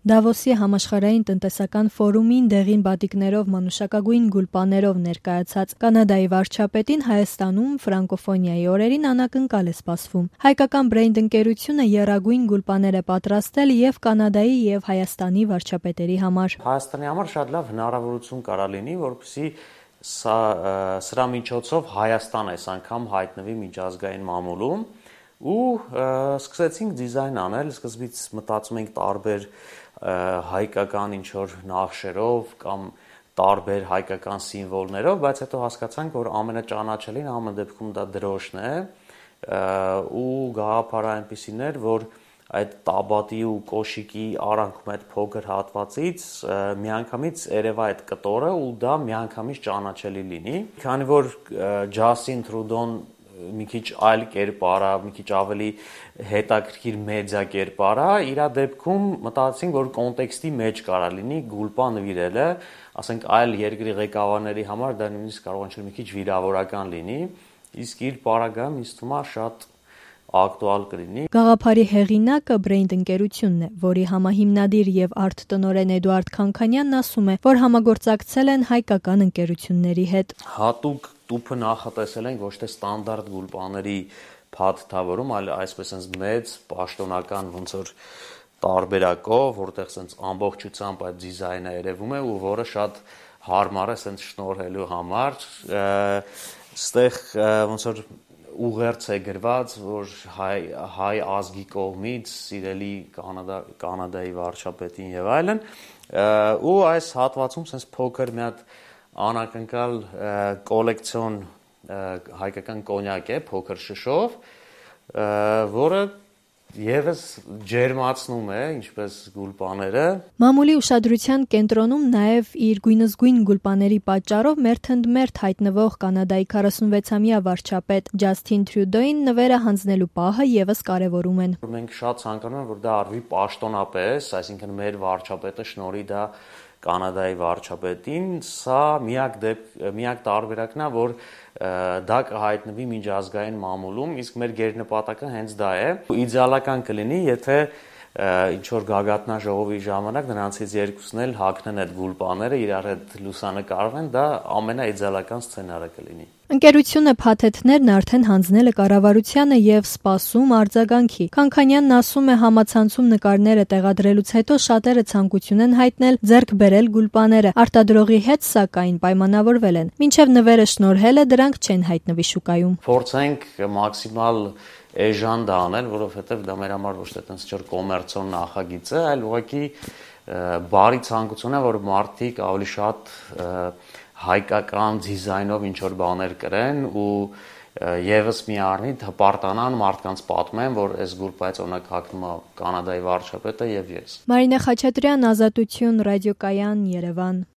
Դավոսի համաշխարհային տնտեսական ֆորումին դեղին բատիկներով, մանուշակագույն գուլպաներով ներկայացած Կանադայի վարչապետին Հայաստանում ֆրանկոֆոնիայի օրերին անակնկալ է սպասվում։ Հայկական բրեինդ ընկերությունը եռագույն գուլպաներ է պատրաստել եւ Կանադայի եւ Հայաստանի վարչապետերի համար։ Հայաստանի համար շատ լավ հնարավորություն կարա լինի, որպեսզի սրա միջոցով Հայաստան այս անգամ հայտնվի միջազգային մամուլում ու սկսեցինք դիզայն անել, սկզբից մտածում ենք տարբեր հայկական ինչ-որ նախշերով կամ տարբեր հայկական սիմվոլներով, բայց հետո հասկացանք, որ ամենաճանաչելին ամեն դեպքում դա դրոշն է ու գաղափարը այնպիսին էր, որ այդ տաբատի ու կոշիկի արանքում այդ փոքր հատվածից միանգամից երևա այդ կտորը ու դա միանգամից ճանաչելի լինի, քանի որ Ջասին Թրուդոն մի քիչ այլ կերպար է, մի քիչ ավելի հետաքրքիր մեդիա կերպար է, իր դեպքում մտածեցինք, որ կոնտեքստի մեջ կարա լինի գուլպա նվիրելը, ասենք այլ երկրի ղեկավարների համար դա նույնիսկ կարող է մի քիչ վիրավորական լինի, իսկ իր պարագայում ինձ թվում է շատ ակտուալ կլինի։ Գաղափարի հեղինակը բրեինդ ընկերությունն է, որի համահիմնադիր եւ արտ-տնօրեն Էդուարդ Քանքանյանն ասում է, որ համագործակցել են հայկական ընկերությունների հետ։ Հատուկ տուփը նախատեսել ենք ոչ թե ստանդարտ գուլպաների փաթեթավորում, այլ այսպես sense մեծ պաշտոնական ոնց որ տարբերակով, որտեղ sense ամբողջությամբ այդ դիզայնը երևում է ու որը շատ հարմար է sense շնորհելու համար, այստեղ ոնց որ ուղերձ է գրված, որ հայ ազգի կողմից սիրելի Կանադայի վարչապետին եւ այլն, ու այս հատվածում sense փոքր մի հատ անակնկալ կոլեկցիոն հայկական կոնյակ է փոքր շշով, որը եւս ջերմացնում է ինչպես գուլպաները։ Մամուլի ուշադրության կենտրոնում նաև իր գույնզգույն գուլպաների պատճառով մերթընդմերթ հայտնվող Կանադայի 46-ամյա վարչապետ Ջասթին Թրյուդոին նվերը հանձնելու պահը եւս կարևորում են։ Մենք շատ ցանկանում ենք, որ դա արվի պաշտոնապես, այսինքն մեր վարչապետը շնորհի դա Կանադայի վարչապետին, սա միակ տարբերակն է, որ դա կհայտնվի միջազգային մամուլում, իսկ մեր գերնպատակը հենց դա է։ Իդեալական կլինի, եթե ինչ-որ գագաթնաժողովի ժամանակ նրանցից երկուսն էլ հագնեն այդ գուլպաները, իրար հետ լուսանկարվեն, դա ամենաիդեալական սցենարը կլինի։ Ընկերությունը փաթեթներն արդեն հանձնել է կառավարությանը եւ սպասում արձագանքի։ Քանքանյանն ասում է, համացանցում նկարները տեղադրելուց հետո շատերը ցանկություն են հայտնել ձեռք բերել գուլպաները։ Արտադրողի հետ սակայն պայմանավորվել են։ Մինչև նվերը շնորհել է, դրանք չեն հայտնվի շուկայում։ Փորձենք մաքսիմալ էժան դա անել, որովհետեւ դա մեր համար ոչ թե տենց չէր կոմերցիոն նախագիծ է, այլ ուղղակի բարի ցանկություն է, որ մարդիկ ավելի շատ հայկական դիզայնով ինչ-որ բաներ կրեն ու եւս մի առնիթ հպարտանան մարդկանց պատմեն, որ այս գուլպայից օրինակ հագնում է Կանադայի վարչապետը եւ ես։ Մարինե Խաչատրյան, Ազատություն, ռադիոկայան, Երևան։